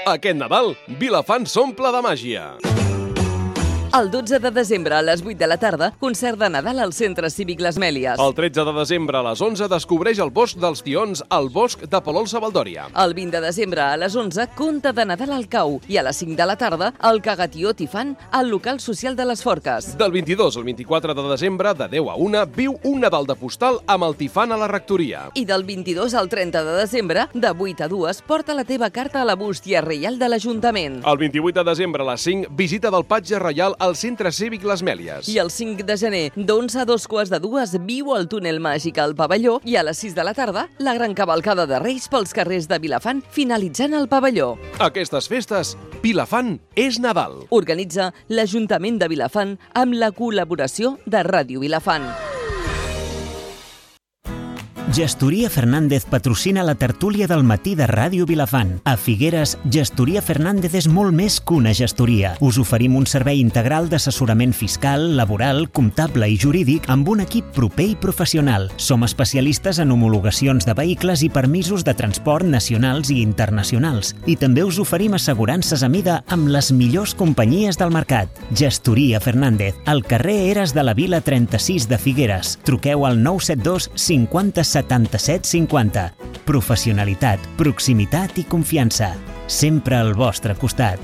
Aquest Nadal, Vilafant s'omple de màgia. El 12 de desembre a les 8 de la tarda, concert de Nadal al Centre Cívic Les Mèlies. El 13 de desembre a les 11 descobreix el Bosc dels Tions al Bosc de Palol-Savaldòria. El 20 de desembre a les 11, conte de Nadal al Cau. I a les 5 de la tarda, el Cagatió Tifant al local social de les Forques. Del 22 al 24 de desembre, de 10 a 1, viu un Nadal de postal amb el Tifant a la rectoria. I del 22 al 30 de desembre, de 8 a 2, porta la teva carta a la bústia reial de l'Ajuntament. El 28 de desembre a les 5, visita del Patge Reial al Centre Cívic Les Mèlies. I el 5 de gener, d'11 a 2:45, viu al túnel màgic al pavelló i a les 6 de la tarda, la gran cavalcada de Reis pels carrers de Vilafant, finalitzant el pavelló. Aquestes festes, Vilafant és Nadal. Organitza l'Ajuntament de Vilafant amb la col·laboració de Ràdio Vilafant. Gestoria Fernández patrocina la tertúlia del matí de Ràdio Vilafant. A Figueres, Gestoria Fernández és molt més que una gestoria. Us oferim un servei integral d'assessorament fiscal, laboral, comptable i jurídic amb un equip proper i professional. Som especialistes en homologacions de vehicles i permisos de transport nacionals i internacionals. I també us oferim assegurances a mida amb les millors companyies del mercat. Gestoria Fernández, al carrer Eres de la Vila 36 de Figueres. Truqueu al 972 50 77 50. Professionalitat, proximitat i confiança. Sempre al vostre costat.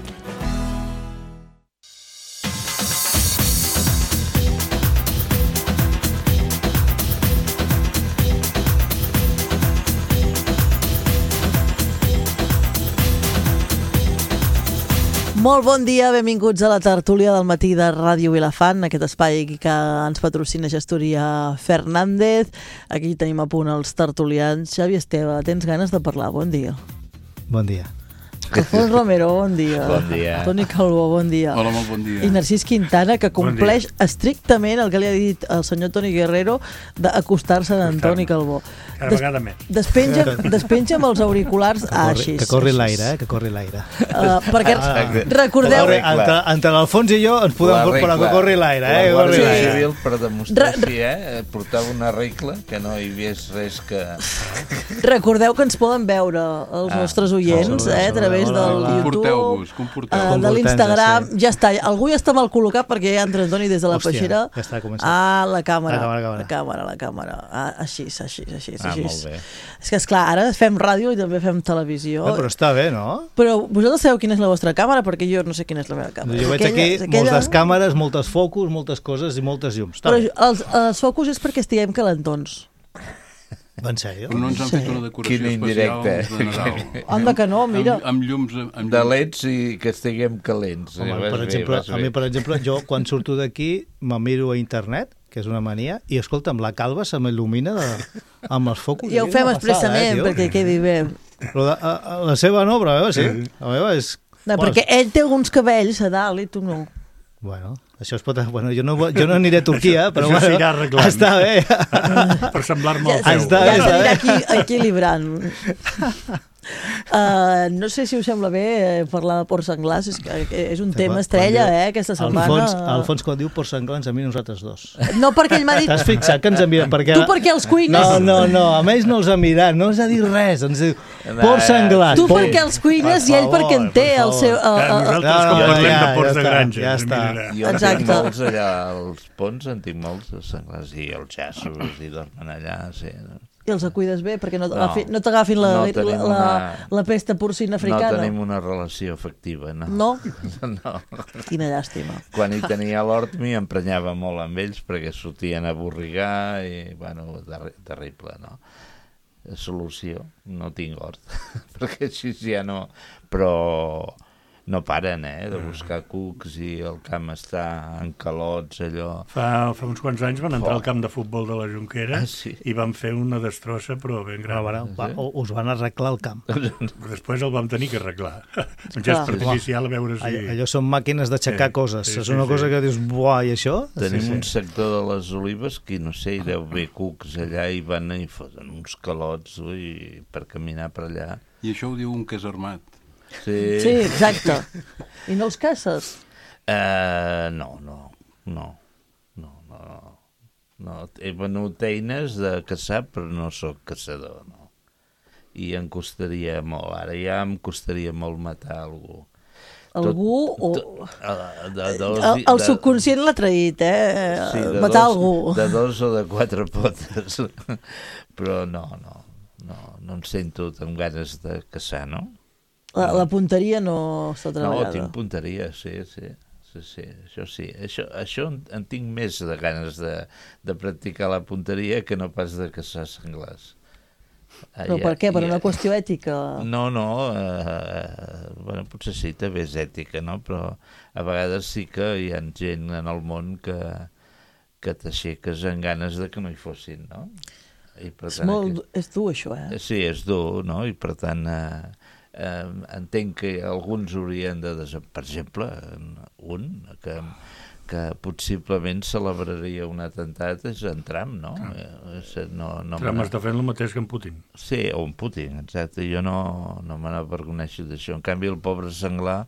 Molt bon dia, benvinguts a la tertúlia del matí de Ràdio Vilafant, aquest espai que ens patrocina Gestoria Fernández. Aquí tenim a punt els tertulians. Xavi Esteve, tens ganes de parlar? Bon dia. Bon dia. Alfons Romero, bon dia. Bon dia. Toni Calbó, bon dia. Hola, molt bon dia. I Narcís Quintana, que compleix estrictament el que li ha dit el senyor Toni Guerrero d'acostar-se d'Antoni Calbó. Cada vegada més. Despenja amb els auriculars així. Que corri l'aire, que corri l'aire. Perquè recordeu... Entre l'Alfons i jo ens podem portar que corri l'aire. La Guàrdia Civil, per demostrar així, portava una regla que no hi havia res que... Recordeu que ens poden veure els nostres oients a través del YouTube, de l'Instagram. Ja està, algú ja està mal col·locat perquè ja entra Antoni des de la peixera. Ja està començant. La càmera. Així. Molt bé. És que, esclar, ara fem ràdio i també fem televisió. Però està bé, no? Però vosaltres sabeu quina és la vostra càmera? Perquè jo no sé quina és la meva càmera. Jo veig aquí moltes càmeres, moltes focus, moltes coses i moltes llums. Però els focus és perquè estiguem calentons. En sèrio? Però no ens han fet una decoració especial de Nadal. Anda que no, mira. Amb llums... De leds i que estiguem calents. Home, a mi, per exemple, jo quan surto d'aquí me miro a internet, que és una mania, i escolta'm, la calva se m'il·lumina amb els focus. I ho fem expressament perquè quedi bé. Però la seva no, però la meva sí. La meva és... No, perquè ell té alguns cabells a dalt i tu no. Bueno, això es pot... Bueno, jo no aniré a Turquia, però això s'irà arreglant. Està bé. Per semblar-me al teu. Ja s'anirà equilibrant. No sé si us sembla bé parlar de porcs senglars, és un tema estrella aquesta setmana. Alfons, quan diu porcs senglars, a mi nosaltres dos. No, perquè ell m'ha dit... T'has fixat que ens envien? Tu perquè els cuines... No, a ells no els ha mirat, no ens ha dit res, ens diu porcs senglars. Tu perquè els cuines i ell perquè en té el seu... Nosaltres com parlem de porcs de granja. Ja està. Jo en tinc molts allà als ponts, en tinc molts de senglars i els jassos i dormen allà, sí. I els cuides bé perquè no t'agafin la pesta porcina africana. No tenim una relació afectiva, no. No? No. Quina llàstima. Quan hi tenia l'hort m'hi emprenyava molt amb ells perquè sortien a borrigar i, bueno, terrible, no? Solució, no tinc hort, perquè així ja no... Però no paren, de buscar cucs i el camp està en calots, allò... Fa uns quants anys van entrar al camp de futbol de la Jonquera i van fer una destrossa, però ben gran. Us van arreglar el camp. Després el vam tenir que arreglar. Un gest artificial, a veure si... Allò són màquines d'aixecar coses. És una cosa que dius, buah, i això? Tenim un sector de les olives que, no sé, hi deu haver cucs allà i van i foten uns calots per caminar per allà. I això ho diu un casarmat. Sí, exacte. I no els caces? No. He venut eines de caçar, però no sóc caçador, no. i em costaria molt. Ara ja em costaria molt matar algú. Algú o... El subconscient l'ha traït, sí, matar algú. De 2 o de 4 potes. Però no em sento amb ganes de caçar, no? La punteria no està treballada. No, tinc punteria, sí, això sí. Això en tinc més de ganes de practicar la punteria que no pas de caçar senglars. Però per què? Per una qüestió ètica? No, bueno, potser sí, també és ètica, no? Però a vegades sí que hi ha gent en el món que t'aixeques amb ganes de que no hi fossin, no? I per tant, és dur, això, Sí, és dur, no? I per tant, entenc que alguns haurien de... Per exemple, un que possiblement celebraria un atemptat és en Trump, no? Trump està fent el mateix que en Putin. Sí, o en Putin, exacte. Jo no me n'avergoneixo d'això. En canvi, el pobre senglar,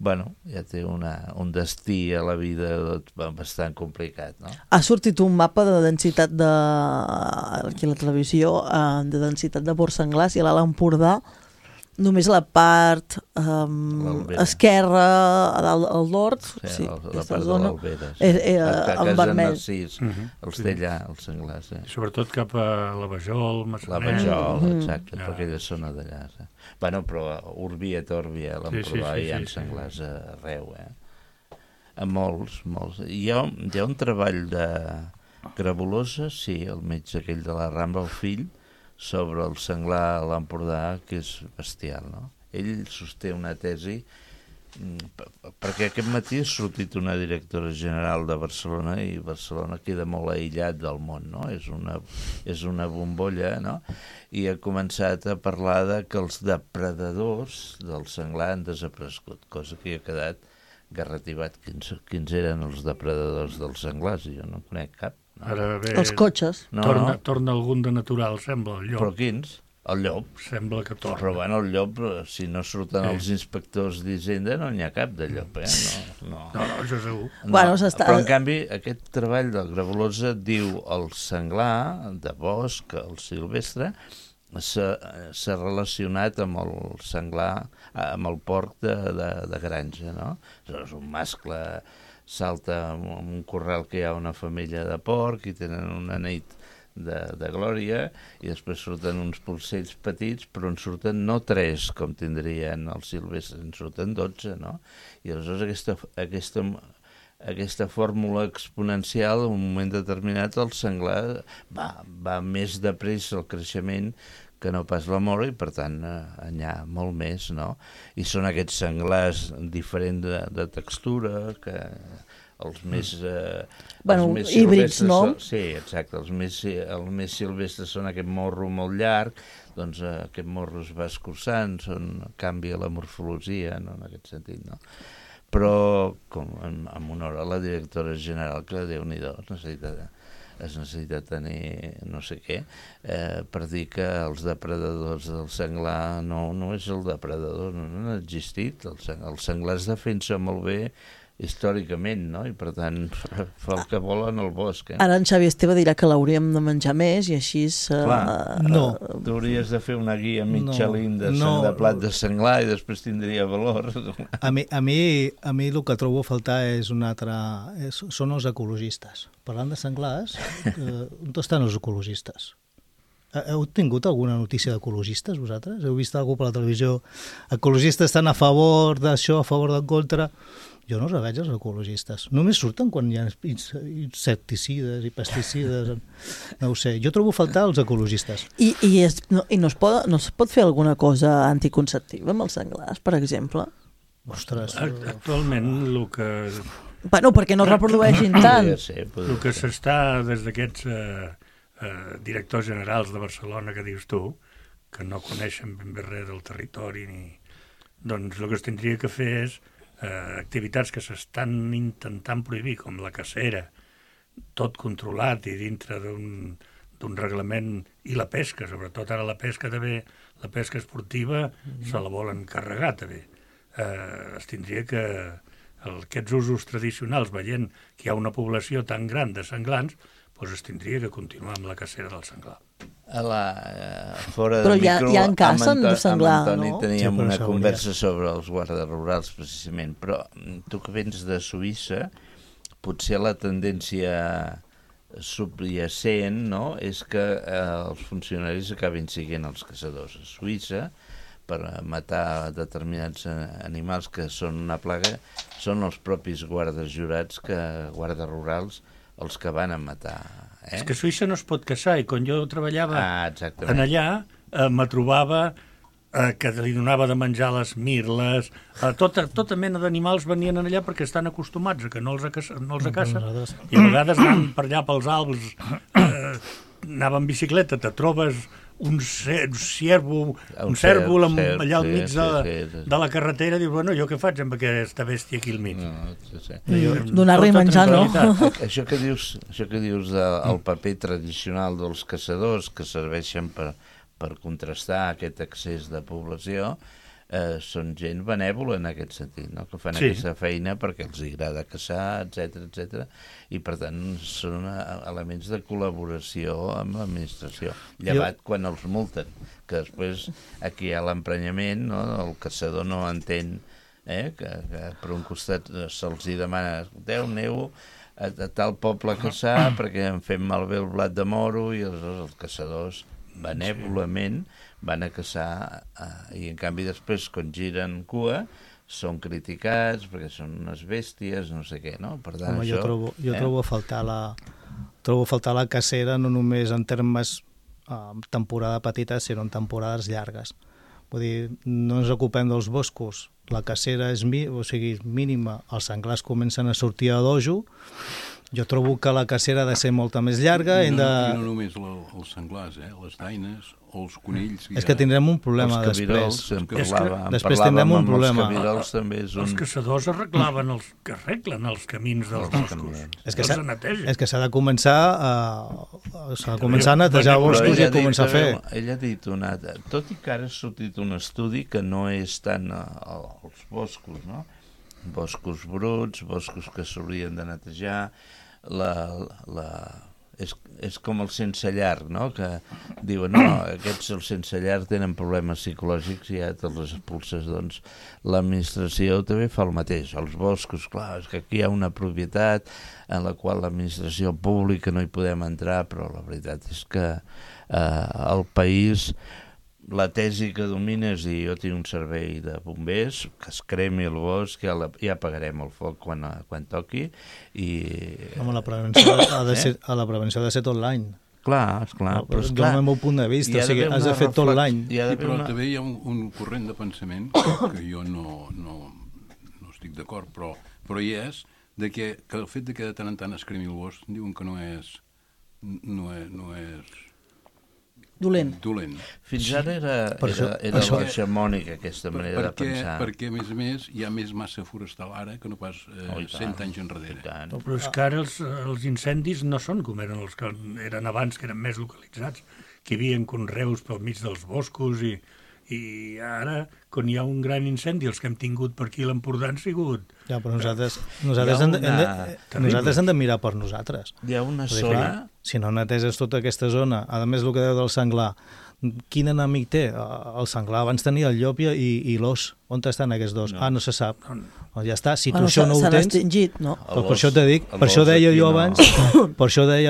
bueno, ja té un destí a la vida bastant complicat, no? Ha sortit un mapa de densitat aquí a la televisió, de densitat de porcs senglars, i a l'Alt Empordà només la part esquerra, al nord, sí, la part de l'Albera, en vermell. Els té allà, els senglars. Sobretot cap a la Vajol, La Vajol, exacte, per aquella zona d'allà. Bueno, però Urbia et Òrbia, a l'Empordà hi ha senglars arreu, a molts. Hi ha un treball de Grabolosa, sí, el metge aquell de la Rambla, el fill, sobre el senglar a l'Empordà, que és bestial, no? Ell sosté una tesi, perquè aquest matí ha sortit una directora general de Barcelona i Barcelona queda molt aïllat del món, no? És una bombolla, no? I ha començat a parlar de que els depredadors del senglar han desaparegut, cosa que ha quedat garrativat. Quins eren els depredadors dels senglars? Jo no conec cap. Ara bé, els cotxes. Torna algun de natural, sembla, el llop. Però quins? El llop. Sembla que torna. Però bueno, el llop, si no surten els inspectors d'Hisenda, no n'hi ha cap de llop, No, això segur. Bueno, però en canvi, aquest treball del Grabolosa diu el senglar de bosc, el silvestre, s'ha relacionat amb el senglar, amb el porc de granja, no? És un mascle, salta en un corral que hi ha una femella de porc i tenen una nit de glòria i després surten uns polsells petits, però en surten no 3 com tindrien els silvestres, en surten 12, no? I aleshores aquesta fórmula exponencial, en un moment determinat el senglar va més de pressa el creixement que no pas la mort, i per tant n'hi ha molt més, no? I són aquests senglars diferents de textura, que els més híbrids, no? Sí, exacte, els més silvestres són aquest morro molt llarg, doncs aquest morro es va escurçant, canvia la morfologia, no? En aquest sentit, no? Però, com en honor a la directora general, que Déu-n'hi-do, es necessita tenir no sé què, per dir que els depredadors del senglar no és el depredador, no ha existit. El senglar es defensa molt bé històricament, no? I per tant fa el que vol en el bosc. Ara en Xavi Esteve dirà que l'hauríem de menjar més i així... No. Tu hauries de fer una guia Michelin de plat de senglar i després tindria valor. A mi el que trobo a faltar és són els ecologistes. Parlant de senglars, on estan els ecologistes? Heu tingut alguna notícia d'ecologistes, vosaltres? Heu vist algú per la televisió? Ecologistes estan a favor d'això, a favor d'en contra... Jo no veig els ecologistes. Només surten quan hi ha insecticides i pesticides. No ho sé. Jo trobo a faltar els ecologistes. I no es pot fer alguna cosa anticonceptiva amb els senglars, per exemple? Ostres. Actualment, el que... Bueno, perquè no reprodueixin tant. El que s'està des d'aquests directors generals de Barcelona que dius tu, que no coneixen ben bé res del territori, doncs el que es tindria que fer és activitats que s'estan intentant prohibir, com la cacera, tot controlat i dintre d'un reglament, i la pesca, sobretot ara la pesca també, la pesca esportiva, se la volen carregar també. Es tindria que aquests usos tradicionals, veient que hi ha una població tan gran de senglars, doncs es tindria que continuar amb la cacera del senglar. Fora Però de micro, ja en cacen de senglar, amb Antoni no? teníem Sí, una però conversa sobre els guardes rurals, precisament. Però tu que vens de Suïssa, potser la tendència subjacent, no?, és que els funcionaris acabin siguent els caçadors. A Suïssa, per matar determinats animals que són una plaga, són els propis guardes jurats, guardes rurals, els que van a matar. És que a Suïssa no es pot caçar, i quan jo treballava exactament. en allà, me trobava que li donava de menjar les mirles, tota mena d'animals venien allà perquè estan acostumats a que no els cacen, i a vegades anant per allà pels Alps, anava en bicicleta, te trobes un cèrvol allà al mig de la carretera, i dius, bueno, jo què faig amb aquesta bèstia aquí al mig? Donar-li menjar, no? Això que dius del paper tradicional dels caçadors, que serveixen per contrastar aquest excés de població, són gent benèvola en aquest sentit, no? Que fan aquesta feina perquè els agrada caçar, etc. I per tant són elements de col·laboració amb l'administració, llevat quan els multen, que després aquí hi ha l'emprenyament, no? El caçador no entén que per un costat se'ls demana, aneu a tal poble a caçar perquè em fem malbé el blat de moro, i aleshores els caçadors benèvolament van a caçar, i en canvi després quan giren cua són criticats perquè són unes bèsties, no sé què, no? Per tant, jo trobo a faltar la cacera no només en termes temporada petita, sinó en temporades llargues. Vull dir, no ens ocupem dels boscos, la cacera és mínima, els senglars comencen a sortir a dojo. Jo trobo que la cacera ha de ser molta més llarga. I no només els senglars, les daines o els conills. És que tindrem un problema després. Després tindrem un problema. Els caçadors arreglen els camins dels boscos. És que s'ha de començar a netejar boscos i a començar a fer. Ell ha dit tot i que ara ha sortit un estudi que no és tant els boscos, no? Boscos bruts, boscos que s'haurien de netejar, és com el sense llar, no? Que diuen, aquests els sense llar tenen problemes psicològics i ja te'ls expulses. Doncs l'administració també fa el mateix. Els boscos, clar, és que aquí hi ha una propietat en la qual l'administració pública no hi podem entrar, però la veritat és que el país, la tesi que domina és dir, jo tinc un servei de bombers, que es cremi el bosc, ja apagarem el foc quan toqui. Home, la prevenció ha de ser tot l'any. Clar, esclar. Però del meu punt de vista, has de fer tot l'any. Però també hi ha un corrent de pensament que jo no estic d'acord, però hi és, que el fet que de tant en tant es cremi el bosc diuen que no és dolent. Fins ara era hegemònica aquesta manera de pensar. Perquè, a més, hi ha més massa forestal ara que no pas 100 anys enrere. Però és que ara els incendis no són com eren els que eren abans, que eren més localitzats, que hi havia conreus pel mig dels boscos, i ara, quan hi ha un gran incendi, els que hem tingut per aquí a l'Empordà han sigut... Ja, però nosaltres hem de mirar per nosaltres. Hi ha una zona... Si no neteses tota aquesta zona, a més el que deu del senglar, quin enemic té? El senglar abans tenia el llop i l'os. On estan aquests dos? No se sap. Ja està, si tu això no ho tens... extingit, no? Per això t'he dit, per això deia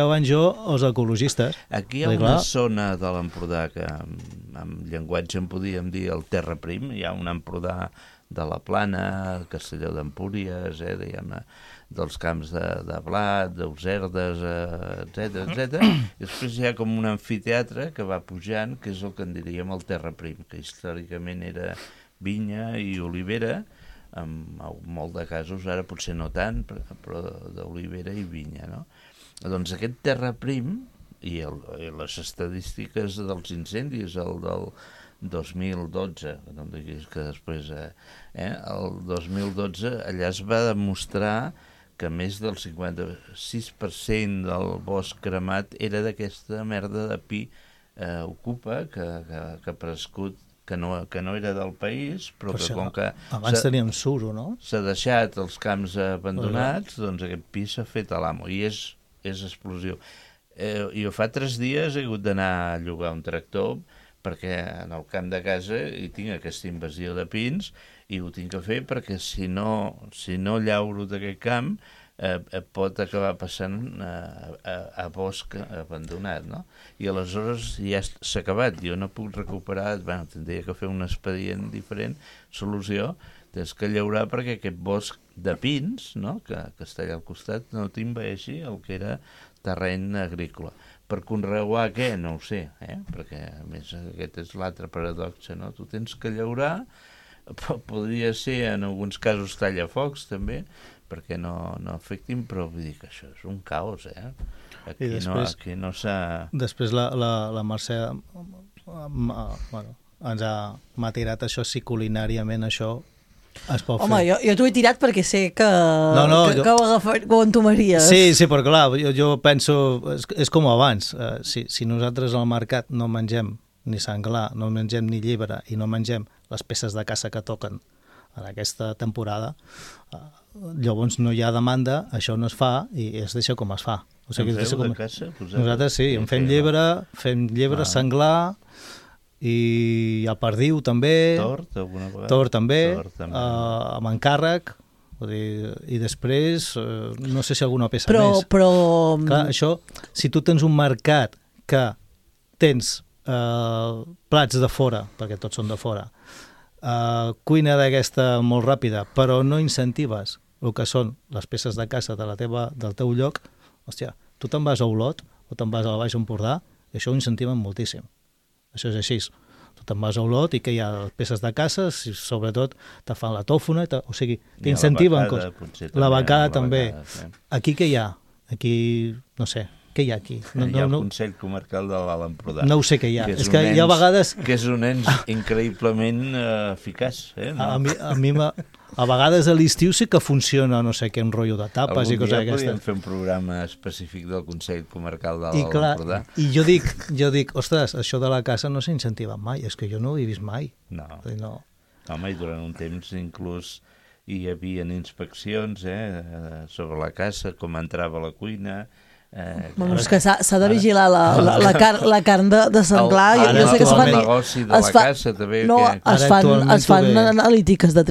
abans jo els ecologistes. Aquí hi ha una zona de l'Empordà que en llenguatge en podíem dir el terra prim, hi ha un Empordà de la Plana, Castelló d'Empúries, dels camps de blat, d'Userdes, etc. I després hi ha com un amfiteatre que va pujant, que és el que en diríem el terra prim, que històricament era vinya i olivera, en molt de casos, ara potser no tant, però d'olivera i vinya, no? Doncs aquest terra prim i les estadístiques dels incendis, el del 2012, no em diguis que després... El 2012 allà es va demostrar que més del 56% del bosc cremat era d'aquesta merda de pi ocupa, que ha prescut, que no era del país, però que com que... Abans teníem suro, no? S'ha deixat els camps abandonats, doncs aquest pi s'ha fet a l'amo, i és explosiu. Jo fa 3 dies he hagut d'anar a llogar un tractor perquè en el camp de casa hi tinc aquesta invasió de pins i ho tinc que fer perquè si no llauro d'aquest camp pot acabar passant a bosc abandonat, no? I aleshores ja s'ha acabat, jo no puc recuperar, tindria que fer un expedient diferent, solució, tens que llaurar perquè aquest bosc de pins, no?, que està allà al costat, no t'invaeixi el que era terreny agrícola. Per conreuar què? No ho sé, perquè a més aquest és l'altre paradoxa, no? Tu tens que llaurar, podria ser en alguns casos tallafocs també, perquè no afectin, però vull dir que això és un caos, Aquí no s'ha... Després la Mercè ens m'ha tirat això, si culinàriament això es pot fer. Home, jo t'ho he tirat perquè sé que ho entomaries. Sí, però clar, jo penso, és com abans, si nosaltres al mercat no mengem ni senglar, no mengem ni llebre i no mengem les peces de caça que toquen en aquesta temporada, llavors no hi ha demanda, això no es fa i es deixa com es fa. O sigui, de caça? Nosaltres sí, en fem llebre, senglar i el perdiu també, tort alguna vegada? Tort també. Amb encàrrec, i després no sé si alguna peça més. Però... Clar, això, si tu tens un mercat que tens plats de fora, perquè tots són de fora, cuina d'aquesta molt ràpida, però no incentives el que són les peces de caça del teu lloc, hòstia, tu te'n vas a Olot o te'n vas al Baix Empordà i això ho incentiven moltíssim. Això és així. Tu te'n vas a Olot i que hi ha peces de caça, i sobretot te fan la tòfona, o sigui, t'incentiven coses. La becada també. Aquí què hi ha? Aquí, no sé, què hi ha aquí? Hi ha el Consell Comarcal de l'Alt Empordà. No ho sé què hi ha. És que hi ha vegades... Que és un ens increïblement eficaç. A mi a vegades a l'estiu sí que funciona, no sé què, un rotllo de tapes i coses d'aquestes. Podríem fer un programa específic del Consell Comarcal de l'Alt Empordà. I jo dic, ostres, això de la caça no s'ha incentivat mai, és que jo no ho he vist mai. No. Home, i durant un temps inclús hi havia inspeccions sobre la caça, com entrava a la cuina... Bueno, és que s'ha de vigilar la carn de senglar. Ara el negoci de la caça també... Es fan analítiques de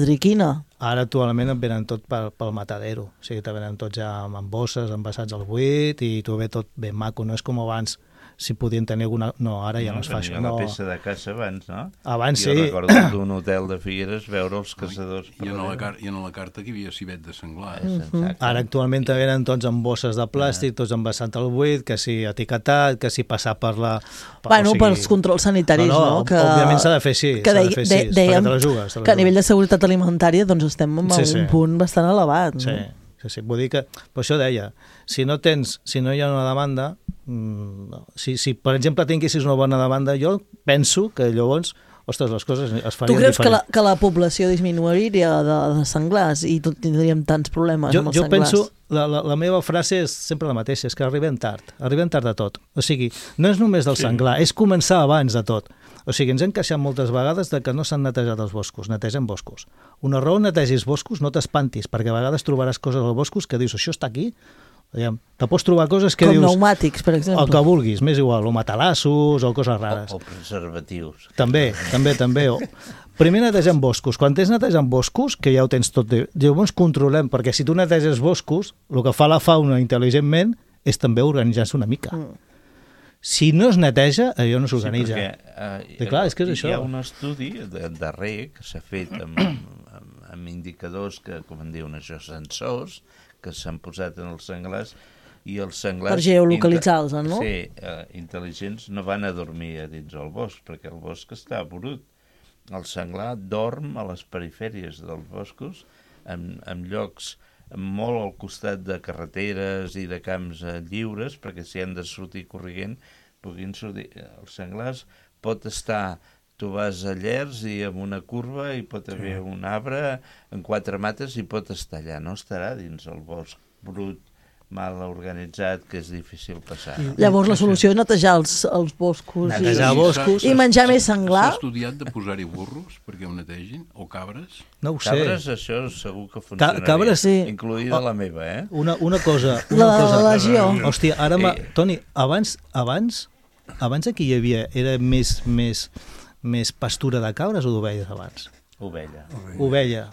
triquina. Ara actualment et venen tot pel matadero, o sigui, te venen tots ja amb bosses, envasats al buit i t'ho ve tot ben maco, no és com abans, si podien tenir alguna... No, ara ja no es fa això. La peça de caça abans, no? Abans sí. Jo recordo d'un hotel de Figueres veure els caçadors... I en la carta que hi havia civet de senglar. Ara actualment te venen tots amb bosses de plàstic, tots envasats al buit, que si etiquetat, que si passar per la... Bueno, pels controls sanitaris, no? Òbviament s'ha de fer així, perquè te la jugues. Que a nivell de seguretat alimentària doncs estem en un punt bastant elevat. Sí, vull dir que, per això deia, si no hi ha una demanda, si per exemple tinguessis una bona demanda, jo penso que llavors, ostres, les coses es farien diferent. Tu creus que la població disminuiria de senglars i tindríem tants problemes amb els senglars? Jo penso, la meva frase és sempre la mateixa, és que arribem tard de tot. O sigui, no és només del senglar, és començar abans de tot. O sigui, ens hem queixat moltes vegades de que no s'han netejat els boscos, netegen boscos. Una raó netegis boscos, no t'espantis, perquè a vegades trobaràs coses als boscos que dius, això està aquí? Te pots trobar coses que dius... Com pneumàtics, per exemple. El que vulguis, m'és igual, o matalassos, o coses rares. O preservatius. També. Primer netegen boscos. Quan tens netejant boscos, que ja ho tens tot, llavors controlem, perquè si tu neteges boscos, el que fa la fauna intel·ligentment és també organitzar-se una mica. Si no es neteja, allò no s'organitza. Sí, clar, és que és això. Hi ha un estudi darrer que s'ha fet amb indicadors que, com en diuen això, sensors, que s'han posat en els senglars, i els senglars... Per geolocalitzar-los, no? Sí, intel·ligents no van a dormir a dins el bosc, perquè el bosc està brut. El senglar dorm a les perifèries dels boscos, en llocs molt al costat de carreteres i de camps lliures, perquè si han de sortir corrent, puguin sortir. Els senglars pot estar, tu vas a Llers i amb una curva i pot haver un arbre en 4 mates i pot estar allà, no estarà dins el bosc brut mal organitzat que és difícil passar. Llavors la solució és netejar els boscos Netejar boscos. i menjar més senglar. S'ha estudiat de posar-hi burros perquè ho netegin? O cabres? No ho sé. Cabres, això segur que funcionaria. Cabres, sí. Incluïda la meva, eh? Una cosa... La legió. Hòstia, ara... Toni, abans aquí hi havia... Era més pastura de cabres o d'ovelles abans? Ovella.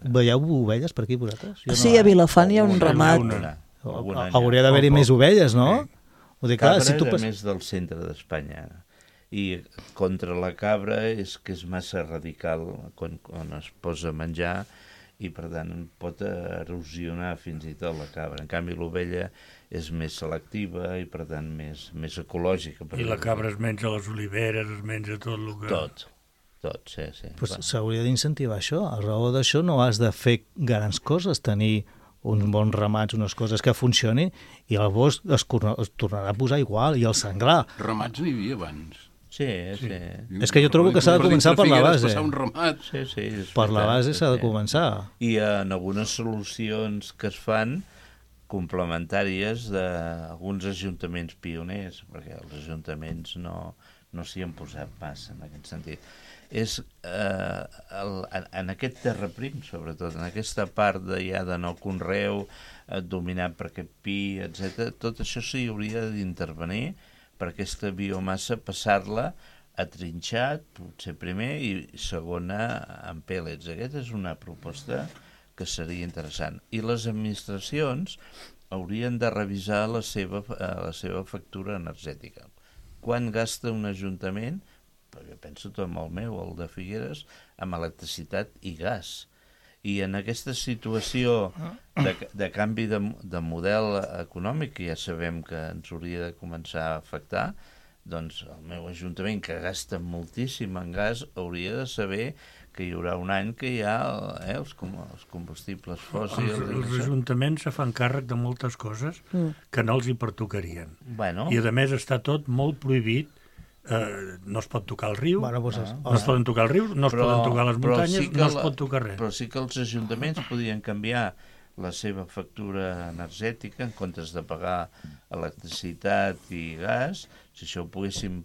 Veieu ovelles per aquí vosaltres? Sí, a Vilafant hi ha un ramat. Hauria d'haver-hi més ovelles, no? Vull dir, clar, Cabra si tu era més del centre d'Espanya. I contra la cabra és que és massa radical quan es posa a menjar i, per tant, pot erosionar fins i tot la cabra. En canvi, l'ovella és més selectiva i, per tant, més ecològica. I la cabra es menja les oliveres, es menja tot el que... Tot, sí. Pues s'hauria d'incentivar això. A raó d'això no has de fer grans coses, tenir uns bons ramats, unes coses que funcionin, i el bosc es tornarà a posar igual, i el senglar. Ramats n'hi havia abans. Sí. És que jo trobo que s'ha de començar per la base. Passar un ramat. Sí, per la base s'ha de començar. I en algunes solucions que es fan complementàries d'alguns ajuntaments pioners, perquè els ajuntaments no s'hi han posat massa en aquest sentit. És en aquest terra prim, sobretot, en aquesta part de no conreu, dominat per aquest pi, etc. Tot això s'hi hauria d'intervenir per aquesta biomassa, passar-la a trinxat, potser primer, i segona en pèl·lets. Aquesta és una proposta que seria interessant. I les administracions haurien de revisar la seva factura energètica. Quan gasta un ajuntament, perquè penso tot amb el meu, el de Figueres, amb electricitat i gas. I en aquesta situació de canvi de model econòmic, que ja sabem que ens hauria de començar a afectar, doncs el meu ajuntament, que gasta moltíssim en gas, hauria de saber que hi haurà un any que hi ha els combustibles fòssils. Els ajuntaments se fan càrrec de moltes coses que no els hi pertocarien. Bueno. I a més està tot molt prohibit. No es pot tocar el riu, bueno, pues no es poden tocar el riu, no es poden tocar les muntanyes, no es pot tocar res. Però sí que els ajuntaments podien canviar la seva factura energètica en comptes de pagar electricitat i gas. Si això ho poguéssim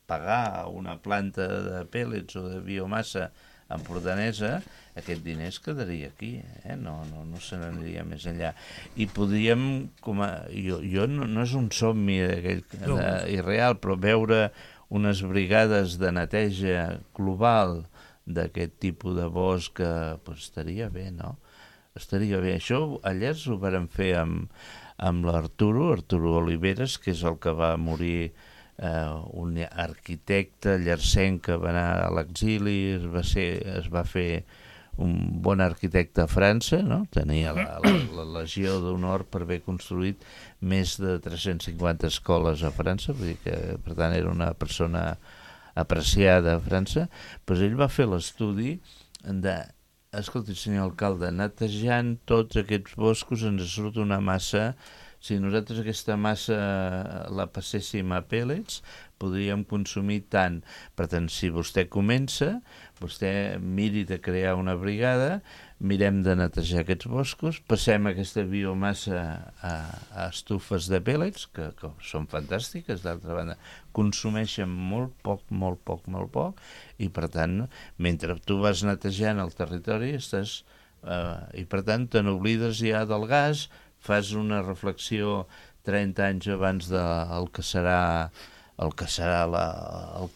pagar a una planta de pèl·lets o de biomassa empordanesa, aquest diner es quedaria aquí, no se n'aniria més enllà. I podríem, no és un somni irreal, però veure unes brigades de neteja global d'aquest tipus de bosc estaria bé, no? Estaria bé. Això a Llers ho vàrem fer amb l'Arturo Oliveres, que és el que va morir, un arquitecte llercenc que va anar a l'exili, es va fer un bon arquitecte a França, no? Tenia la Legió d'Honor per haver construït més de 350 escoles a França, vull dir que, per tant, era una persona apreciada a França. Doncs ell va fer l'estudi de, escolti, senyor alcalde, netejant tots aquests boscos ens surt una massa. Si nosaltres aquesta massa la passéssim a pèl·lets, podríem consumir tant. Per tant, si vostè comença, vostè miri de crear una brigada, mirem de netejar aquests boscos, passem aquesta biomassa a estufes de pèl·lets, que són fantàstiques, d'altra banda, consumeixen molt poc, i per tant, mentre tu vas netejant el territori, i per tant, te n'oblides ja del gas, fas una reflexió 30 anys abans del que serà el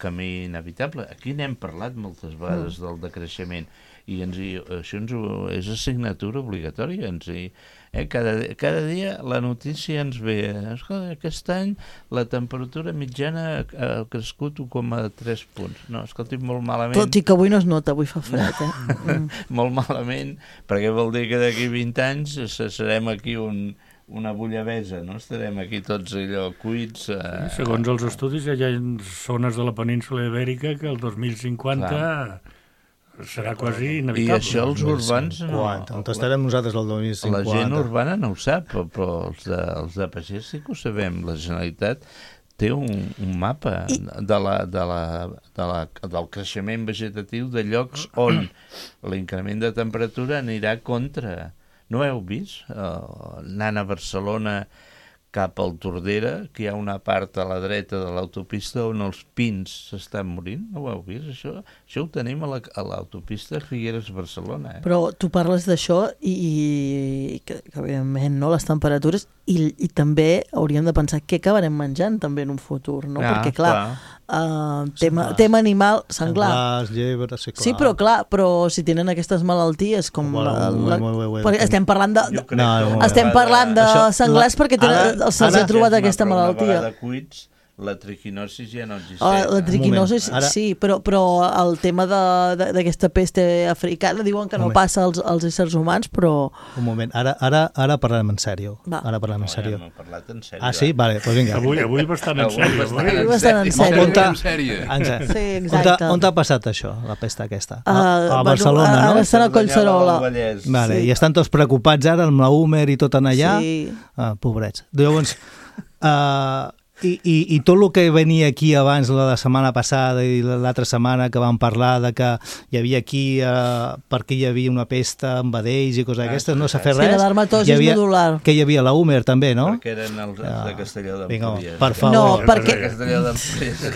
camí inevitable. Aquí n'hem parlat moltes vegades del decreixement i això és assignatura obligatòria. Cada dia la notícia ens ve, aquest any la temperatura mitjana ha crescut 1,3 punts. No, escolti, molt malament. Tot i que avui no es nota, avui fa fred, Molt malament, perquè vol dir que d'aquí 20 anys serem aquí una bullabesa, no? Estarem aquí tots allò cuits. Segons els estudis, hi ha zones de la península ibèrica que el 2050 serà quasi inevitable. I això els urbans no. On estarem nosaltres el 2050? La gent urbana no ho sap, però els de pagès sí que ho sabem. La Generalitat té un mapa del creixement vegetatiu de llocs on l'increment de temperatura anirà contra, No heu vist? Anant a Barcelona cap al Tordera, que hi ha una part a la dreta de l'autopista on els pins s'estan morint. No ho heu vist, això? Això ho tenim a l'autopista Figueres-Barcelona. Però tu parles d'això i que evidentment, no, les temperatures i també hauríem de pensar què acabarem menjant també en un futur, no? Perquè, clar, tema animal, senglar. Llebres, sí, clar. Sí, però clar, si tenen aquestes malalties com... Estem parlant de senglars perquè se'ls ha trobat aquesta malaltia. Una vegada cuits, la triquinosi ja no existeix. La triquinosi sí, però el tema d'aquesta peste africana diuen que no passa als éssers humans, però... Un moment, ara parlem en sèrio. Ara parlem en sèrio. No, hem parlat en sèrio. Ah, sí? Vale, doncs vinga. Avui bastant en sèrio. Avui bastant en sèrio. Sí, exacte. On t'ha passat això, la pesta aquesta? A Barcelona, no? Estan a Collserola. Vale, i estan tots preocupats ara amb la Humer i tot en allà? Sí. Pobrets. Llavors... I tot el que venia aquí abans la setmana passada i l'altra setmana que vam parlar de que hi havia aquí perquè hi havia una pesta amb vedells i coses d'aquestes, no s'ha fet res. Sí, l'adermatosi modular. Que hi havia la Humer també, no? Perquè eren els de Castelló d'Empúries. Per favor. No, perquè...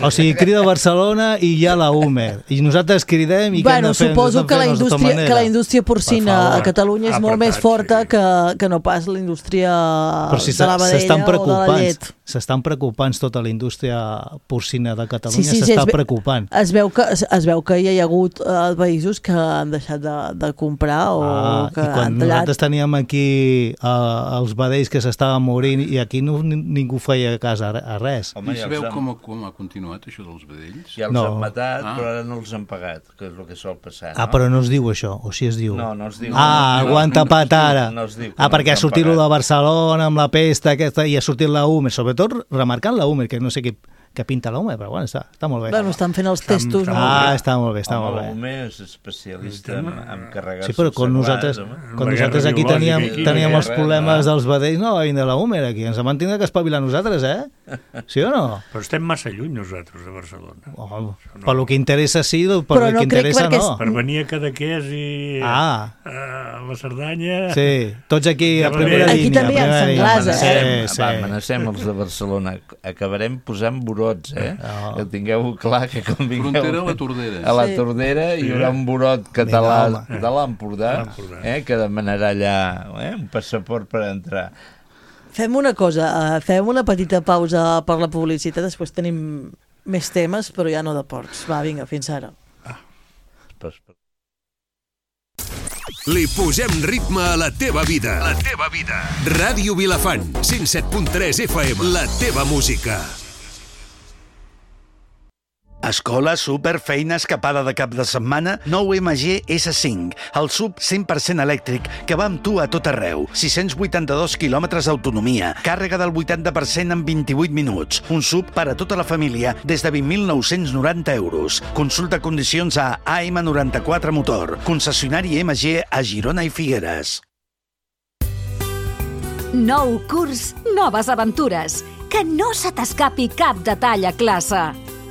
O sigui, crida Barcelona i hi ha la Humer. I nosaltres cridem i què hem de fer? Suposo que la indústria porcina a Catalunya és molt més forta que no pas la indústria de la vedella o de la llet. S'estan preocupant tota la indústria porcina de Catalunya, s'està preocupant. Es veu que hi ha hagut països que han deixat de comprar o que han tallat. Nosaltres teníem aquí els vedells que s'estaven morint i aquí ningú feia cas a res. I sabeu com ha continuat això dels vedells? Ja els han matat, però ara no els han pagat, que és el que sol passar. Però no es diu això, o si es diu? No es diu. Ho han tapat ara. Perquè ha sortit lo de Barcelona amb la pesta aquesta i ha sortit la Humer, sobretot remarcant la Humer, que no sé què pinta la Humer, però bueno, està molt bé. Bueno, estan fent els testos. Està molt bé. La Humer és especialista en carregar-se. Sí, però quan nosaltres aquí teníem els problemes dels vedells, no va vindre la Humer aquí, ens vam tindre que espavilar nosaltres, Sí o no? Però estem massa lluny nosaltres de Barcelona. Per lo que interessa sí, per lo que interessa no. Per venir a Cadaqués i a la Cerdanya... Sí, tots aquí a primera línia. Aquí també hi ha senglars, Amenacem els de Barcelona, acabarem posant burots, que tingueu clar que quan vingueu... Frontera a la Tordera. A la Tordera hi haurà un burot català de l'Empordà que demanarà allà un passaport per entrar. Fem una cosa, fem una petita pausa per la publicitat, després tenim més temes, però ja no de porcs. Va, vinga, fins ara. Li posem ritme a la teva vida. La teva vida. Ràdio Vilafant, 107.3 FM, la teva música. Escola, súper, feina, escapada de cap de setmana, nou MG S5, el sub 100% elèctric que va amb tu a tot arreu. 682 quilòmetres d'autonomia, càrrega del 80% en 28 minuts. Un sub per a tota la família des de 20.990 euros. Consulta condicions a AM94 Motor, concessionari MG a Girona i Figueres. Nou curs, noves aventures. Que no se t'escapi cap detall a classe.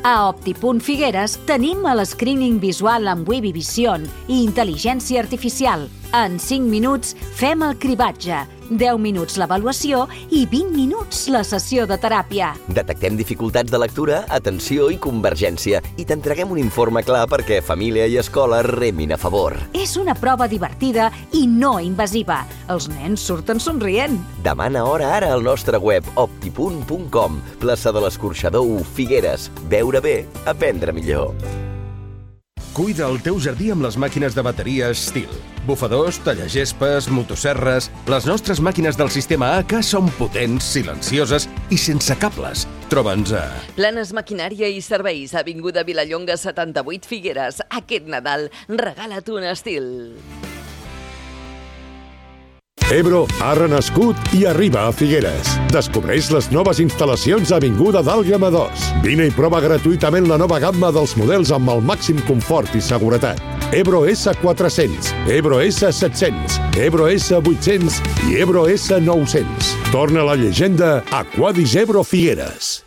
A Opti.Figueres tenim el screening visual amb Webby Vision i intel·ligència artificial. En 5 minuts fem el cribatge, 10 minuts l'avaluació i 20 minuts la sessió de teràpia. Detectem dificultats de lectura, atenció i convergència i t'entreguem un informe clar perquè família i escola remin a favor. És una prova divertida i no invasiva. Els nens surten somrient. Demana hora ara al nostre web opti.com, plaça de l'Escorxador 1, Figueres. Veure bé, aprendre millor. Cuida el teu jardí amb les màquines de bateria Stihl. Bufadors, tallagespes, motosserres... Les nostres màquines del sistema AK són potents, silencioses i sense cables. Troba'ns a... Planes Maquinària i Serveis, avinguda Vilallonga 78 Figueres. Aquest Nadal, regala't un Stihl. Ebro ha renascut i arriba a Figueres. Descobreix les noves instal·lacions a Avinguda d'Àlguema 2. Vine i prova gratuïtament la nova gamma dels models amb el màxim confort i seguretat. Ebro S400, Ebro S700, Ebro S800 i Ebro S900. Torna la llegenda a Quadis Ebro Figueres.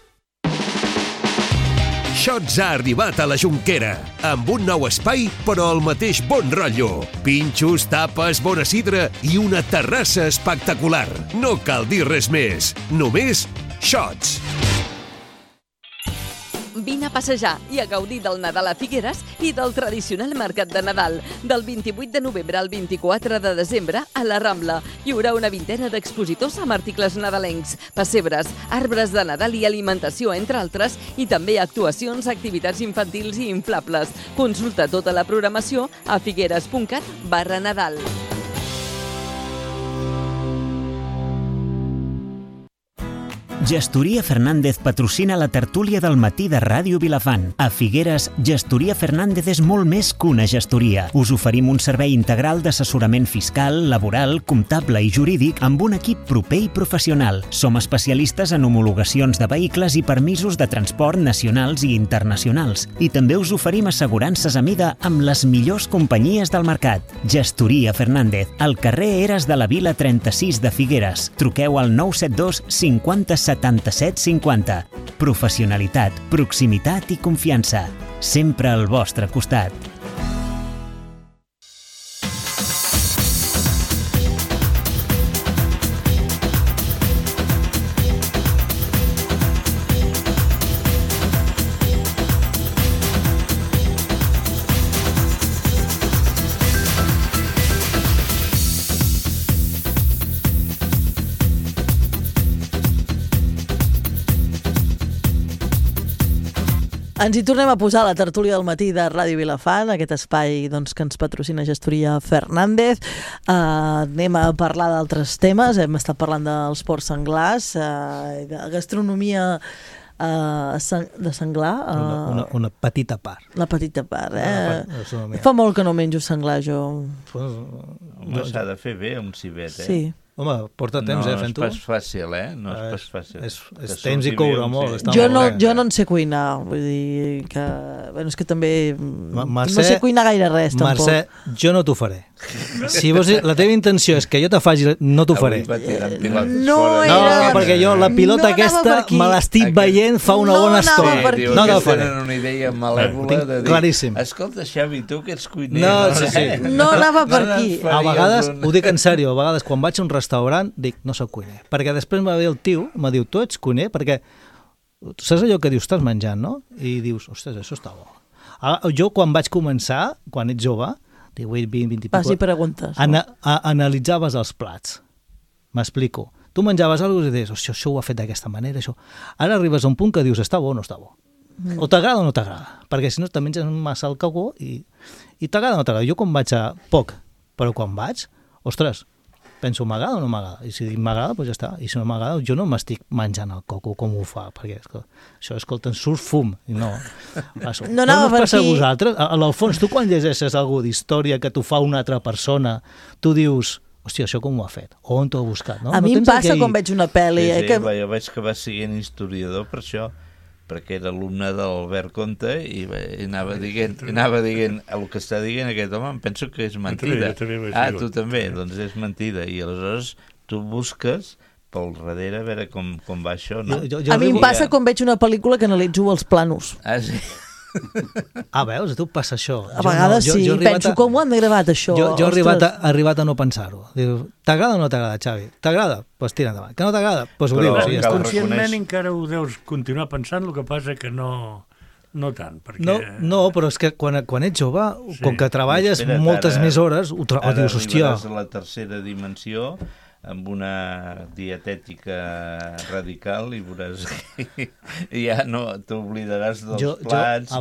Shots ha arribat a la Jonquera, amb un nou espai, però al mateix bon rotllo. Pinxos, tapes, bona sidra i una terrassa espectacular. No cal dir res més, només Shots. Vine a passejar i a gaudir del Nadal a Figueres i del tradicional mercat de Nadal. Del 28 de novembre al 24 de desembre a la Rambla hi haurà una vintena d'expositors amb articles nadalencs, pessebres, arbres de Nadal i alimentació, entre altres, i també actuacions, activitats infantils i inflables. Consulta tota la programació a figueres.cat/Nadal. Gestoria Fernández patrocina la tertúlia del matí de Ràdio Vilafant. A Figueres, Gestoria Fernández és molt més que una gestoria. Us oferim un servei integral d'assessorament fiscal, laboral, comptable i jurídic amb un equip proper i professional. Som especialistes en homologacions de vehicles i permisos de transport nacionals i internacionals. I també us oferim assegurances a mida amb les millors companyies del mercat. Gestoria Fernández, al carrer Eres de la Vila 36 de Figueres. Truqueu al 972 50 77 50. Professionalitat, proximitat i confiança. Sempre al vostre costat. Ens hi tornem a posar a la tertúlia del matí de Ràdio Vilafant, aquest espai doncs, que ens patrocina Gestoria Fernández. Anem a parlar d'altres temes. Hem estat parlant dels porcs senglars, de gastronomia de senglar. Una petita part. La petita part, Fa molt que no menjo senglar, jo. Home, s'ha de fer bé un cibet, Sí. Home, porta temps, fent-ho. No és pas fàcil, No és pas fàcil. És temps i coure molt. Jo no en sé cuinar, vull dir que... Bueno, és que també no sé cuinar gaire res, tampoc. Mercè, jo no t'ho faré. Si la teva intenció és que jo te faci, no t'ho faré. No, perquè jo la pilota aquesta me l'estic veient fa una bona estona. No t'ho faré. Tenen una idea malèvola de dir... Claríssim. Escolta, Xavi, tu que ets cuiner... No anava per aquí. A vegades, ho dic en sèrio, a vegades quan vaig a un restaurant dic, no soc cuiner. Perquè després m'ha ve el tio, m'ha diu, tu ets cuiner? Perquè saps allò que dius, estàs menjant, no? I dius, ostres, això està bo. Jo quan vaig començar, quan ets jove, 18, 20, 20 i pico, preguntes, analitzaves els plats. M'explico. Tu menjaves alguna cosa i deies, això ho ha fet d'aquesta manera, això. Ara arribes a un punt que dius, està bo o no està bo. O t'agrada o no t'agrada. Perquè si no te menges massa el cagó i t'agrada o no t'agrada. Jo quan vaig a poc, però quan vaig, ostres, penso, m'agrada o no m'agrada? I si m'agrada, doncs ja està. I si no m'agrada, jo no m'estic menjant el coco com ho fa, perquè això, escolta, en surt fum. No anava per passa aquí. A vosaltres? A l'Alfons, tu quan llegeixes alguna d'història que t'ho fa una altra persona, tu dius, hòstia, això com ho ha fet? O on t'ho ha buscat? No? A mi em passa quan veig una pel·li. Jo vaig acabar sent historiador per això, perquè era alumne d'Albert Conte i anava dient el que està dient aquest home, em penso que és mentida. Tu també, doncs és mentida. I aleshores tu busques pel darrere a veure com va això. No? A mi em passa quan veig una pel·lícula que analitzo els planos. Sí. Veus? A tu passa això. A vegades sí, penso com ho han gravat això. Jo he arribat a no pensar-ho. T'agrada o no t'agrada, Xavi? T'agrada? Doncs tira endavant. Que no t'agrada? Doncs ho dius. Conscientment encara ho deus continuar pensant, el que passa que no tant. No, però és que quan ets jove, com que treballes moltes més hores, dius, hòstia... Ara arribaràs a la tercera dimensió amb una dietètica radical i veuràs que ja no t'oblidaràs dels plats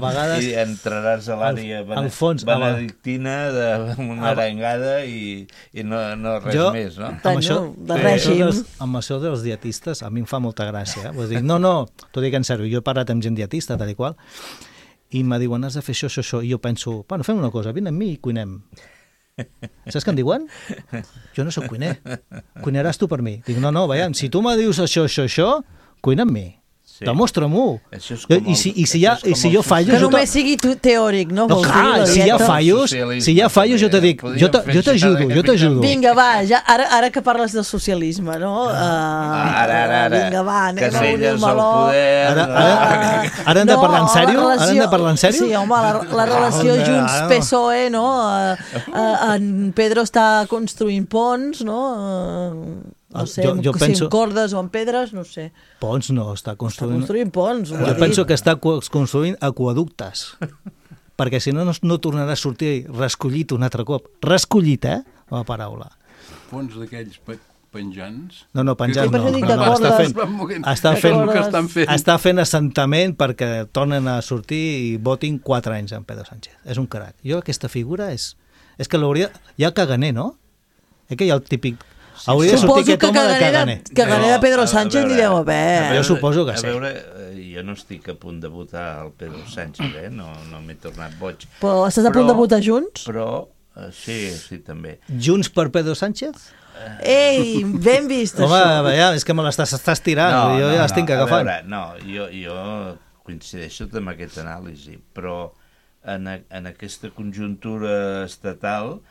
i entraràs a l'àrea benedictina d'una arengada i no res més, no? Amb això dels dietistes a mi em fa molta gràcia. No, t'ho dic en sèrio, jo he parlat amb gent dietista, tal i qual, i em diuen, has de fer això, i jo penso, bueno, fem una cosa, vine amb mi i cuinem. Saps què em diuen? Jo no soc cuiner. Cuinaràs tu per mi. Dic, no, veiem, si tu me dius això, cuina amb mi. Demostra-m'ho. I si jo fallo... Que només sigui teòric, no? No, clar, si hi ha fallos, jo te dic, jo t'ajudo. Vinga, va, ara que parles de socialisme, no? Ara. Vinga, va, anem a obrir el meló. Ara hem de parlar en sèrio? Ara hem de parlar en sèrio? Sí, home, la relació Junts-PSOE, no? En Pedro està construint ponts, no? No sé, si en cordes o en pedres, no sé. Ponts no, està construint ponts. Jo penso que està construint aquaductes, perquè si no, no tornarà a sortir rescollit un altre cop. Rescollit, la paraula. Ponts d'aquells penjants? No, penjants no. Està fent assentament perquè tornen a sortir i votin 4 anys en Pedro Sánchez. És un crac. Jo aquesta figura és que l'hauria... Hi ha caganer, no? Que hi ha el típic... Suposo que caganer de Pedro Sánchez n'hi deu haver. Jo suposo que sí. A veure, jo no estic a punt de votar el Pedro Sánchez, no m'he tornat boig. Però estàs a punt de votar Junts? Però, sí, també. Junts per Pedro Sánchez? Ei, ben vist, això. Home, és que me l'estàs tirant, jo ja l'estic agafant. A veure, no, jo coincideixo amb aquesta anàlisi, però en aquesta conjuntura estatal,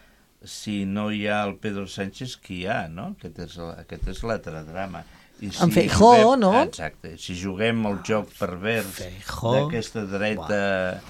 si no hi ha el Pedro Sánchez, qui hi ha, no? Aquest és l'altre drama. En Feijóo, no? Exacte. Si juguem el joc pervers d'aquesta dreta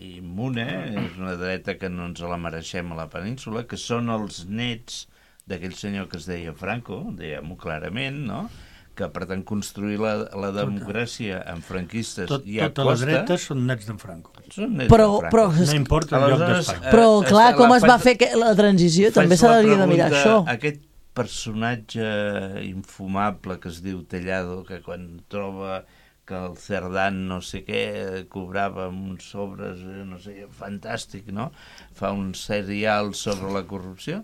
immune, és una dreta que no ens la mereixem a la península, que són els nets d'aquell senyor que es deia Franco, diguem-ho clarament, no? Que pretén construir la democràcia amb franquistes i a costa... Totes les dretes són nets d'en Franco. Però no importa el lloc d'Espanya. Però, clar, com es va fer la transició? També s'hauria de mirar això. Aquest personatge infumable que es diu Tellado, que quan troba que el Cerdán no sé què cobrava uns sobres, no sé, fantàstic, no? Fa un serial sobre la corrupció,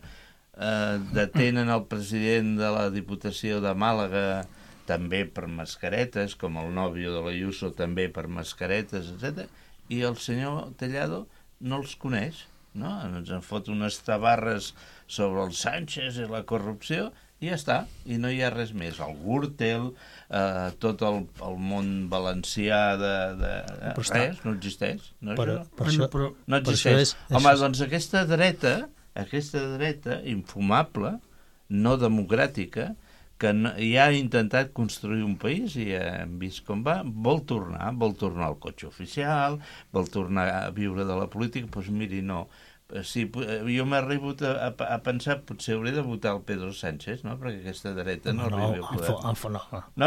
detenen el president de la Diputació de Màlaga també per mascaretes, com el nòvio de l'Ayuso també per mascaretes, etc. I el senyor Tellado no els coneix, no? Ens en fot unes tabarres sobre el Sánchez i la corrupció i ja està, i no hi ha res més. El Gürtel, tot el món valencià res, no existeix. No existeix. Home, doncs aquesta dreta infumable, no democràtica, que ja ha intentat construir un país i hem vist com va, vol tornar al cotxe oficial, vol tornar a viure de la política, doncs miri, no. Sí, jo m'he arribat a pensar, potser hauré de votar el Pedro Sánchez, no? Perquè aquesta dreta no arriba a poder. No,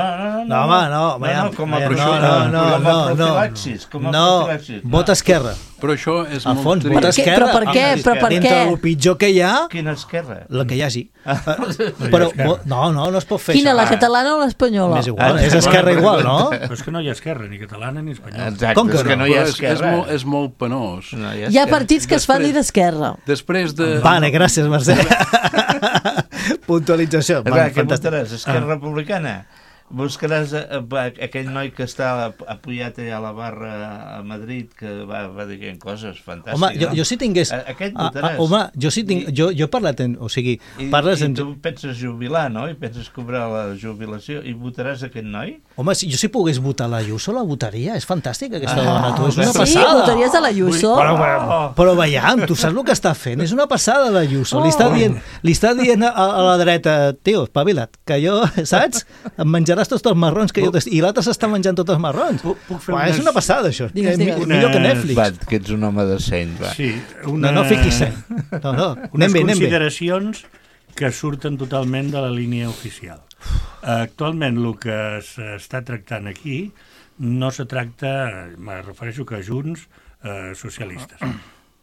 com a profilaxis. No, vota Esquerra. Però això és molt trist. Vota Esquerra. Però per què? Dintre el pitjor que hi ha... Quina esquerra? La que hi hagi. Però no es pot fer això. Quina, la catalana o l'espanyola? És igual, és Esquerra igual, no? Però és que no hi ha esquerra, ni catalana ni espanyola. Exacte, és que no hi ha esquerra. És molt penós. Hi ha partits que es fan dir d'esquerra. Després de... Vale, gràcies, Mercè. Puntualització. Què votaràs? Esquerra Republicana? Buscaràs aquell noi que està apoyat allà a la barra a Madrid, que va dient coses fantàstiques. Home, jo si tingués... Aquest votaràs. Home, jo si tinc... Jo he parlat... O sigui, parles... I tu penses jubilar, no? I penses cobrar la jubilació. I votaràs aquest noi? Home, jo si pogués votar l'Ayuso, la votaria. És fantàstica aquesta dona. Tu, és una passada. Sí, votaries a l'Ayuso? Però veiem, tu saps el que està fent. És una passada l'Ayuso. Li està dient a la dreta, tio, espavila't, que jo, saps? Em menjaràs tots els marrons que jo... I l'altre s'està menjant tots els marrons. És una passada, això. Millor que Netflix. Va, que ets un home de seny, va. Sí, no fiquis seny. Unes consideracions que surten totalment de la línia oficial. Actualment, el que s'està tractant aquí no se tracta, me refereixo que Junts socialistes,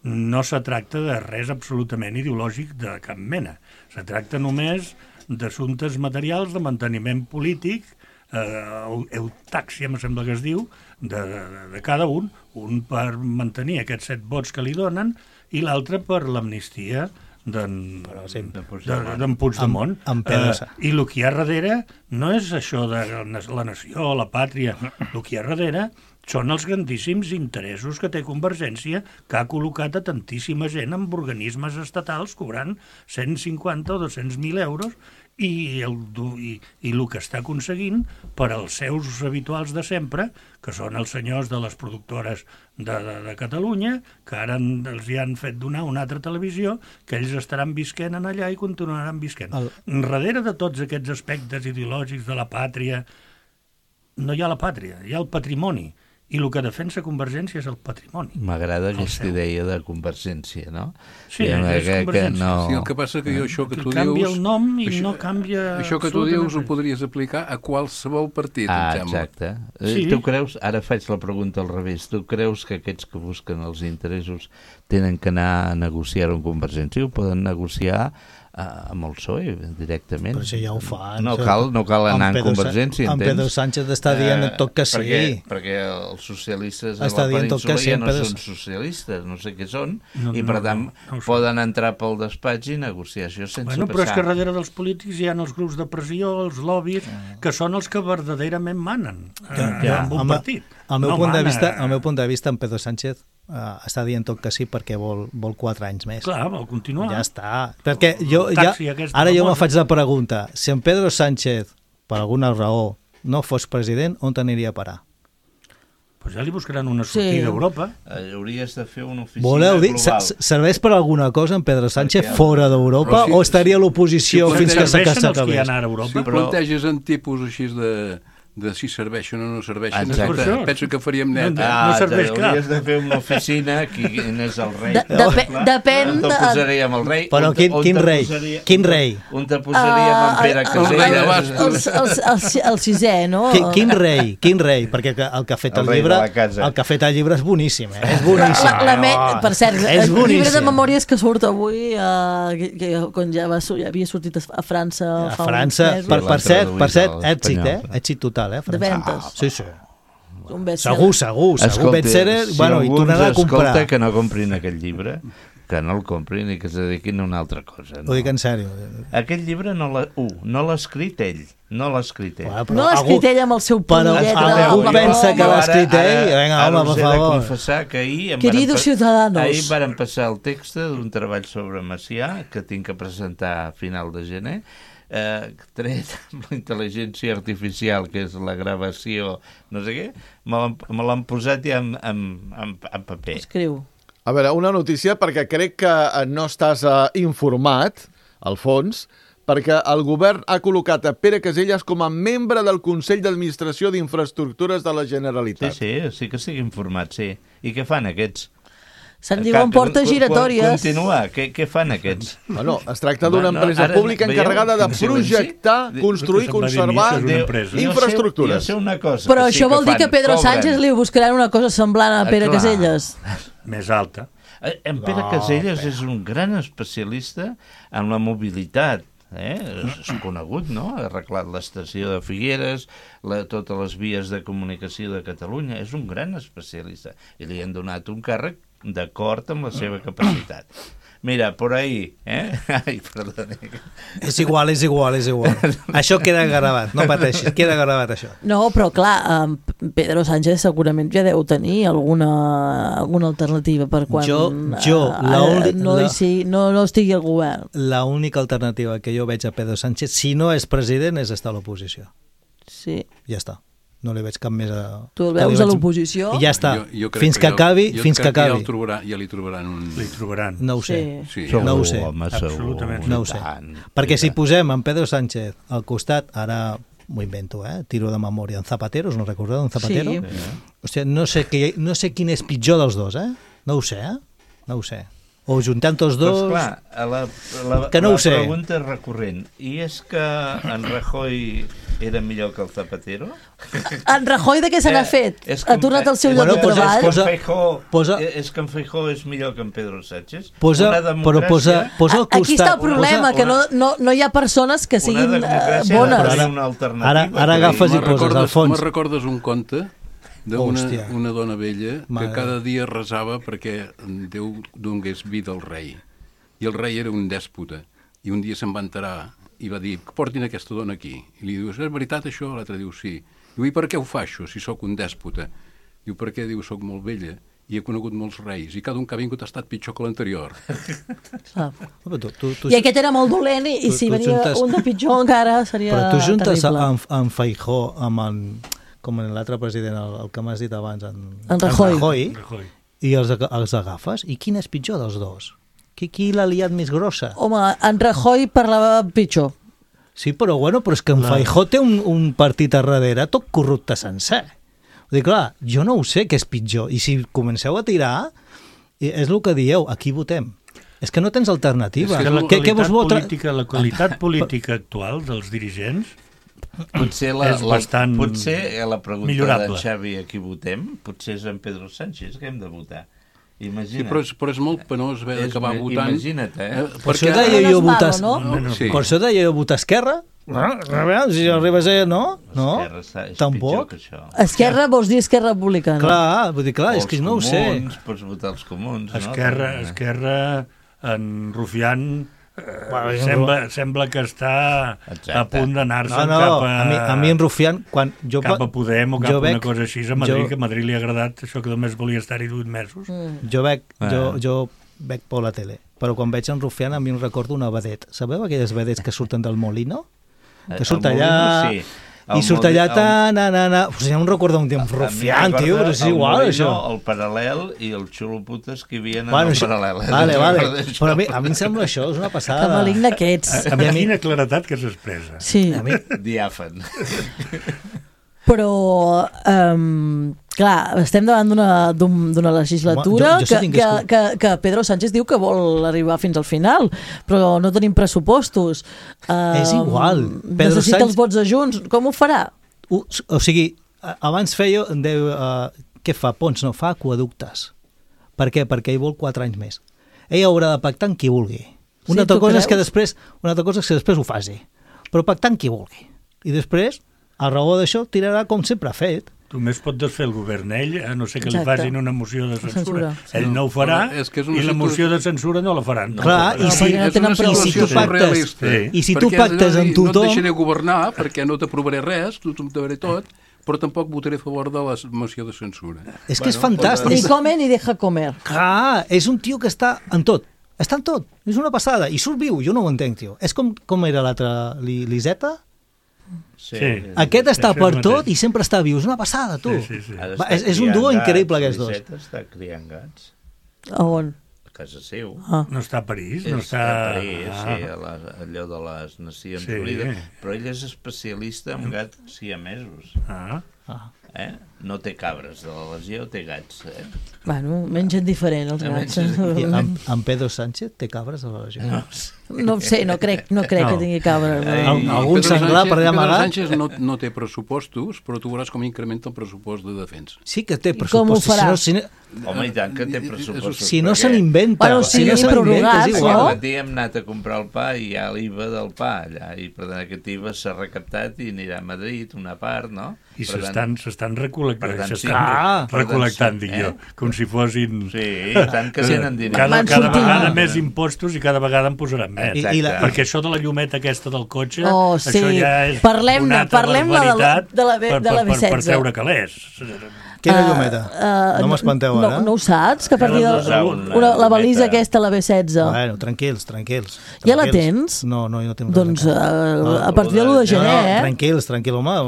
no se tracta de res absolutament ideològic de cap mena. Se tracta només d'assumptes materials, de manteniment polític, eutàxia, em sembla que es diu, de cada un per mantenir aquests 7 vots que li donen i l'altre per l'amnistia d'en Puigdemont. I el que hi ha darrere no és això de la nació, la pàtria, el que hi ha darrere són els grandíssims interessos que té Convergència, que ha col·locat a tantíssima gent en organismes estatals cobrant 150 o 200.000 euros i el que està aconseguint per als seus habituals de sempre, que són els senyors de les productores de Catalunya, que ara els hi han fet donar una altra televisió, que ells estaran visquent en allà i continuaran visquent. Darrere de tots aquests aspectes ideològics de la pàtria, no hi ha la pàtria, hi ha el patrimoni. I el que defensa Convergència és el patrimoni. M'agrada aquesta idea de Convergència, no? Sí, és Convergència. Sí, el que passa que això que tu dius... Canvia el nom i no canvia... Això que tu dius ho podries aplicar a qualsevol partit, em sembla. Exacte. Tu creus, ara faig la pregunta al revés, tu creus que aquests que busquen els interessos tenen que anar a negociar amb Convergència? Ho poden negociar amb el PSOE directament. Però això ja ho fan. No cal anar en Convergència, entens? En Pedro Sánchez està dient tot que sí. Perquè els socialistes a la península ja no són socialistes, no sé què són, i per tant poden entrar pel despatx i negociar això sense passar. Però és que darrere dels polítics hi ha els grups de pressió, els lobbies, que són els que verdaderament manen en un partit. Al meu punt de vista, en Pedro Sánchez està dient tot que sí perquè vol 4 anys més. Clar, vol continuar. Ja està. Perquè ara jo me faig la pregunta, si en Pedro Sánchez, per alguna raó, no fos president, on t'aniria a parar? Pues ja li buscaran una sortida a Europa. Hauries de fer una oficina global. Serveix per alguna cosa en Pedro Sánchez fora d'Europa o estaria a l'oposició fins que s'acabés? Si planteges en tipus així de si serveixen o no serveixen, penso que faríem net. No serveix, clar. Hauries de fer una oficina, quin és el rei? Depèn... On te posaríem el rei? Però quin rei? Quin rei? On te posaríem en Pere Caselles? El sisè, no? Quin rei? Perquè el que ha fet el llibre és boníssim, És boníssim. Per cert, el llibre de memòries que surt avui, quan ja havia sortit a França fa uns mesos. Per cert, èxit total. De ventes. Sí. Segur. Bestseller, i tornarà a comprar. Escolta, que no comprin aquell llibre, que no el comprin i que es dediquin a una altra cosa. Ho dic en sèrio. Aquest llibre no l'ha escrit ell. No l'ha escrit ell. No l'ha escrit ell amb el seu punt i lletra. Algú pensa que l'ha escrit ell? Vinga, home, per favor. Ara us he de confessar que ahir varen passar el text d'un treball sobre Macià, que tinc que presentar a final de gener, tret amb la intel·ligència artificial, que és la gravació, no sé què, me l'han posat ja en paper. Escriu. A veure, una notícia, perquè crec que no estàs informat, Alfons, perquè el govern ha col·locat a Pere Caselles com a membre del Consell d'Administració d'Infraestructures de la Generalitat. Sí que estic informat, sí. I què fan aquests? Se'n diuen portes giratòries. Continua, què fan aquests? Bueno, es tracta d'una empresa pública encarregada de projectar, construir, conservar infraestructures. Jo sé una cosa. Però això vol dir que Pedro Sánchez li buscaran una cosa semblant a Pere Caselles. Més alta. En Pere Caselles és un gran especialista en la mobilitat. És conegut, no? Ha arreglat l'estació de Figueres, totes les vies de comunicació de Catalunya. És un gran especialista. I li han donat un càrrec d'acord amb la seva capacitat. Mira, por ahí, Ai, perdona. És igual. Això queda gravat, no pateixis, queda gravat això. No, però clar, Pedro Sánchez segurament ja deu tenir alguna alternativa per quan no estigui al govern. L'única alternativa que jo veig a Pedro Sánchez, si no és president, és estar a l'oposició. Sí. Ja està. No li veig cap més Tu el veus a l'oposició? I ja està. Fins que acabi. Ja li trobaran un... Li trobaran. No ho sé. No ho sé. Absolutament. No ho sé. Perquè si posem en Pedro Sánchez al costat, ara m'ho invento, tiro de memòria, en Zapatero, us no recordeu, en Zapatero? Sí. Hòstia, no sé quin és pitjor dels dos, No ho sé, No ho sé. O juntant tots dos... Doncs clar, la pregunta és recurrent. I és que en Rajoy era millor que el Zapatero? En Rajoy de què se n'ha fet? Ha tornat al seu lloc de treball? És que en Feijóo és millor que en Pedro Sánchez? Posa al costat... Aquí està el problema, que no hi ha persones que siguin bones. Ara agafes i poses al fons. Me'n recordes un conte d'una dona vella que cada dia resava perquè Déu donés vida al rei. I el rei era un dèspota. I un dia se'n va enterar i va dir, portin aquesta dona aquí. I li diu, és veritat això? L'altre diu, sí. Diu, i per què ho fa això, si sóc un dèspota? Diu, per què? Diu, soc molt vella i he conegut molts reis, i cada un que ha vingut ha estat pitjor que l'anterior. I aquest era molt dolent, i si venia un de pitjor encara seria terrible. Però tu juntes amb Feijó, com l'altre president, el que m'has dit abans, en Rajoy, i els agafes, i quin és pitjor dels dos? Qui l'ha liat més grossa? Home, en Rajoy parlava pitjor. Sí, però és que en Feijó té un partit a darrere tot corrupte sencer. Vull dir, clar, jo no ho sé què és pitjor. I si comenceu a tirar, és el que dieu, aquí votem. És que no tens alternativa. És que la qualitat política actual dels dirigents potser és bastant potser la pregunta millorable. d'en Xavi a qui votem, potser és en Pedro Sánchez que hem de votar. Imagina't. Sí, però és molt penós haver d'acabar votant. Imagina't, Per això deia jo votar... Per això deia jo votar Esquerra. Si arribes a... No? Tampoc. Esquerra vols dir Esquerra Republicana? Clar, vull dir, clar, és que no ho sé. Pots votar els comuns, Esquerra, en Rufián, sembla que està a punt d'anar-se'n cap a mi en Rufián, cap a Podem o cap a una cosa així a Madrid, que a Madrid li ha agradat això que només volia estar-hi 8 mesos. Jo veig por la tele, però quan veig en Rufián a mi em recordo una vedet. Sabeu aquelles vedets que surten del Molino? Que surt allà... I surt allà tant, ja em recordo un temps Rufián, tio, però és igual, això. El Paral·lel i el xuloputes que hi havia en el Paral·lel. Vale. Però a mi em sembla això, és una passada. Que maligne que ets. A mi quina claretat que s'expressa. Sí. Diàfan. Però, clar, estem davant d'una legislatura que Pedro Sánchez diu que vol arribar fins al final, però no tenim pressupostos. És igual. Necessita els vots de Junts. Com ho farà? O sigui, abans feia... Què fa? Ponts, no, fa aquaductes. Per què? Perquè ell vol 4 anys més. Ell haurà de pactar amb qui vulgui. Una altra cosa és que després ho faci. Però pactar amb qui vulgui. I després... a raó d'això tirarà com sempre ha fet. Només pot desfer el govern ell, a no ser que li facin una moció de censura. Ell no ho farà i la moció de censura no la faran. Clar, i si tu pactes amb tothom... No et deixaré governar perquè no t'aprovaré res, tothom t'aprovaré tot, però tampoc votaré a favor de la moció de censura. És que és fantàstic. Ni come ni deja comer. Clar, és un tio que està en tot. Està en tot. És una passada. I surt viu, jo no ho entenc, tio. És com era l'altre, l'Iseta? Sí. Aquest està per tot i sempre està viu. És una passada, tu. És un duo increïble, aquests dos. L'Iseta està criant gats. A on? A casa seu. No està a París? Està a París, sí, allò de les Nacions Unides. Però ell és especialista en gats siamesos. No té cabres de la legió, té gats. Bueno, mengen diferent, els gats. I en Pedro Sánchez té cabres de la legió? No ho sé, no crec que tingui cabres. Algun senglar per allà amagat? Pedro Sánchez no té pressupostos, però tu veuràs com incrementa el pressupost de defensa. Sí que té pressupostos. Com ho farà? Home, i tant que té pressupostos. Si no se n'inventa. Si no se n'inventa, és igual. Aquest dia hem anat a comprar el pa i hi ha l'IVA del pa allà, i per tant aquest IVA s'ha recaptat i anirà a Madrid, una part, no? I s'estan recol·lectant, dic jo, com si fossin... Sí, tant que tenen diners. Cada vegada més impostos i cada vegada en posaran més. Perquè això de la llumeta aquesta del cotxe, això ja és una altra barbaritat per treure calés. Quina llumeta? No m'espanteu ara. No ho saps? Que a partir de la balisa aquesta, la B16. Bueno, tranquils. Ja la tens? No, jo no tinc res. Doncs a partir de l'1 de gener, Tranquils, home.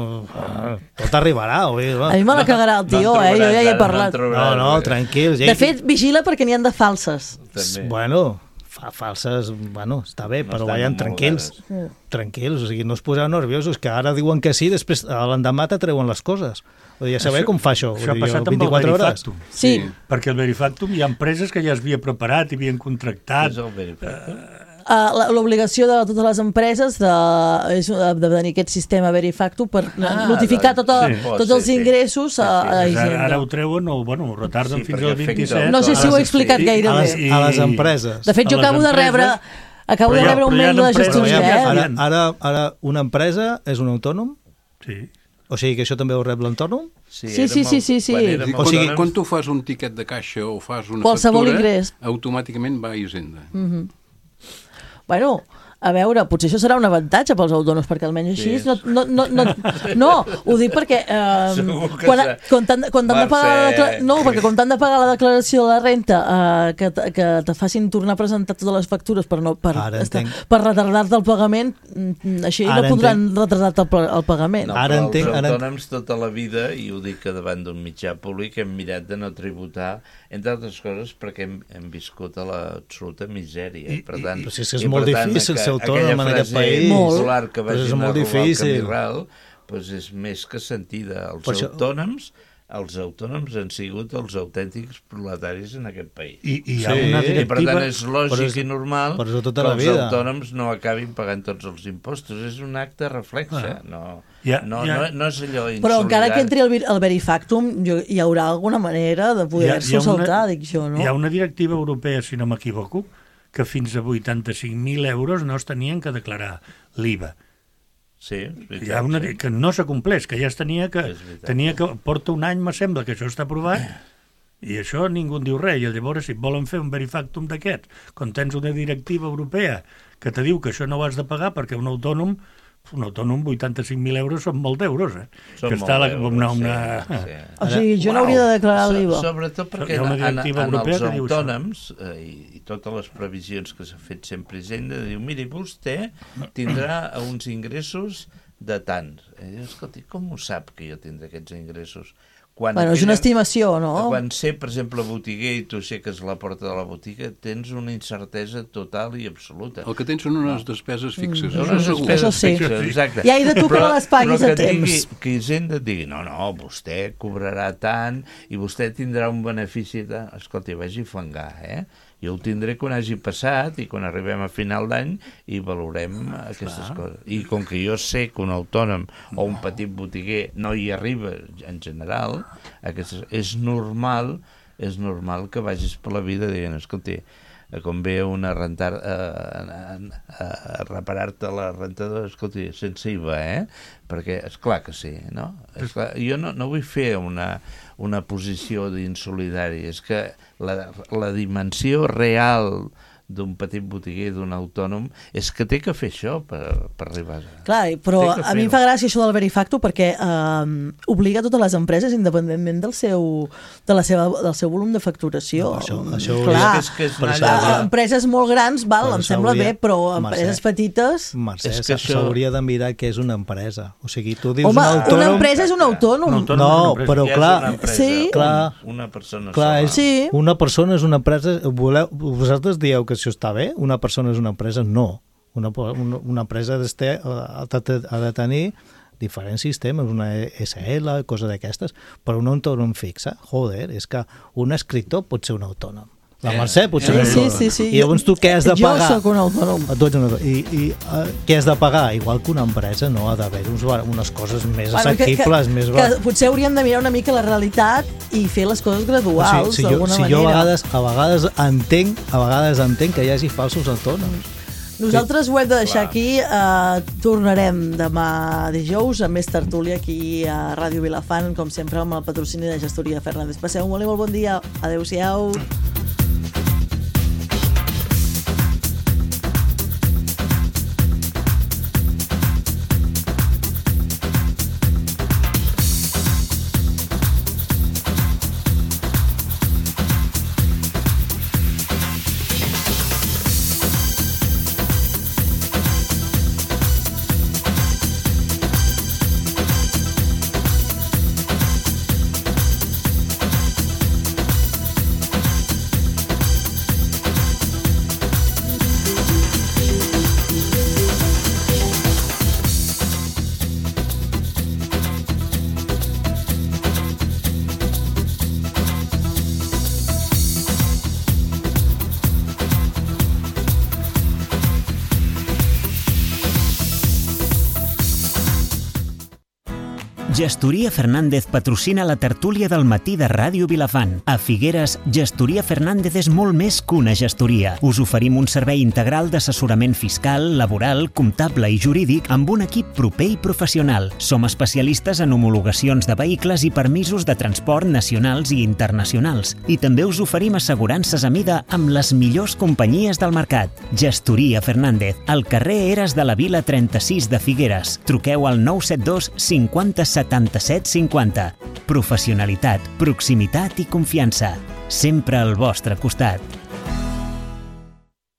Tot arribarà. A mi me la cagarà el tio, jo ja hi he parlat. No, tranquils. De fet, vigila perquè n'hi ha de falses. Bueno... falses, bueno, està bé, però vayan tranquils, o sigui, no us poseu nerviosos, que ara diuen que sí, després l'endemà t'atreuen les coses. Ja sabeu com fa això. Això ha passat amb el Verifactum. Sí. Perquè el Verifactum hi ha empreses que ja es havia preparat i havien contractat. L'obligació de totes les empreses de tenir aquest sistema Verifactum per notificar tots els ingressos a Hisenda. Ara ho treuen o ho retarden fins al 27. No sé si ho he explicat gaire bé. A les empreses. De fet, jo acabo de rebre un mail de la gestoria. Ara una empresa és un autònom? Sí. O sigui que això també ho rep l'autònom? Sí. O sigui, quan tu fas un tiquet de caixa o fas una factura, automàticament va a Hisenda. Bueno, A veure, potser això serà un avantatge pels autònoms, perquè almenys així no, ho dic perquè quan t'han de pagar quan t'han de pagar la declaració de la renta que te facin tornar a presentar totes les factures per retardar-te el pagament, així no podran retardar-te el pagament. Els autònoms tota la vida, i ho dic que davant d'un mitjà públic, hem mirat de no tributar, entre altres coses perquè hem viscut a l'absoluta misèria. Per tant, però si és molt difícil ser autònom en aquest país, que vagin a robar el camí ral, doncs és més que sentida. Els autònoms han sigut els autèntics proletaris en aquest país. I per tant és lògic i normal que els autònoms no acabin pagant tots els impostos. És un acte reflexe, no és allò insolidari. Però encara que entri el verifactum, hi haurà alguna manera de poder-s'ho saltar, dic jo, no? Hi ha una directiva europea, si no m'equivoco, que fins a 85.000 euros no es tenien que declarar l'IVA. Sí, hi ha una que no s'acompleix, que ja es tenia que porta un any, me sembla, que això està aprovat, i això ningú en diu res. I llavors, si volen fer un verifactum d'aquest, quan tens una directiva europea que te diu que això no ho has de pagar perquè un autònom 85.000 euros són molt d'euros, Són que està molt O sigui, jo no hauria de declarar l'IVA. Sobretot perquè en els autònoms, i totes les previsions que s'ha fet sempre Hisenda, diu, miri, vostè tindrà uns ingressos de tant. Escolta, com ho sap que jo tindré aquests ingressos? És una estimació, no? Quan sé, per exemple, botiguer i tu aixeques la porta de la botiga, tens una incertesa total i absoluta. El que tens són unes despeses fixes. Això sí. Exacte. I hai de tu que les paguis a temps. Que Hisenda et digui, no, vostè cobrarà tant i vostè tindrà un benefici de... Escolta, vagi a fangar, Jo ho tindré quan hagi passat i quan arribem a final d'any i valorem aquestes coses. I com que jo sé que un autònom o un petit botiguer no hi arriba en general, és normal que vagis per la vida dient, escolta, com ve a reparar-te la rentadora, escolta, sense IVA, perquè és clar que sí, no? Jo no vull fer una posició d'insolidari, és que la dimensió real d'un petit botiguer, d'un autònom, és que té que fer això per arribar a... Clar, però a mi em fa gràcia això del verifacto perquè obliga totes les empreses, independentment del seu volum de facturació. Clar, empreses molt grans, em sembla bé, però empreses petites... Mercè, s'hauria de mirar què és una empresa. O sigui, tu dius un autònom... Home, una empresa és un autònom. No, però clar... Una persona sola. Una persona és una empresa... Vosaltres dieu que això està bé? Una persona és una empresa? No. Una empresa ha de tenir diferents sistemes, una SL, cosa d'aquestes, però un autònom fixa, és que un escriptor pot ser un autònom. La Mercè pot ser un autònom. Sí. I llavors tu què has de pagar? Jo soc un autònom. I què has de pagar? Igual que una empresa, no? Ha d'haver unes coses més assequibles. Que potser hauríem de mirar una mica la realitat i fer les coses graduals, d'alguna manera. Jo a vegades entenc que hi hagi falsos autònoms. Nosaltres ho hem de deixar aquí. Tornarem demà dijous amb més tertúlia aquí a Ràdio Vilafant, com sempre amb el patrocini de Gestoria Fernández. Passeu un molt bon dia. Adéu-siau. Gestoria Fernández patrocina la tertúlia del matí de Ràdio Vilafant. A Figueres, Gestoria Fernández és molt més que una gestoria. Us oferim un servei integral d'assessorament fiscal, laboral, comptable i jurídic amb un equip proper i professional. Som especialistes en homologacions de vehicles i permisos de transport nacionals i internacionals. I també us oferim assegurances a mida amb les millors companyies del mercat. Gestoria Fernández, al carrer Eres de la Vila 36 de Figueres. Truqueu al 972 50 77 50. Professionalitat, proximitat i confiança. Sempre al vostre costat.